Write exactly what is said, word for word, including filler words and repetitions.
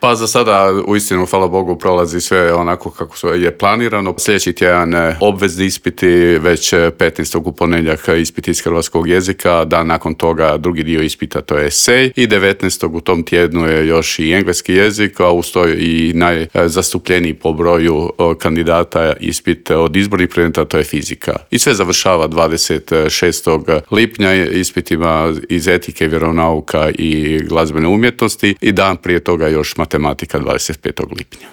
Pa za sada, uistinu, hvala Bogu, prolazi sve onako kako je planirano. Sljedeći tjedan obvezni ispiti, već petnaestog u ponedjeljak ispit iz hrvatskog jezika, dan nakon toga drugi dio ispita, to je esej, i devetnaestog u tom tjednu je još i engleski jezik, a uz to i najzastupljeniji po broju kandidata ispit od izbornih predmeta, to je fizika. I sve završava dvadeset šestog lipnja ispitima iz etike, vjeronauka i glazbene umjetnosti i dan prije toga još matematika dvadeset petog lipnja.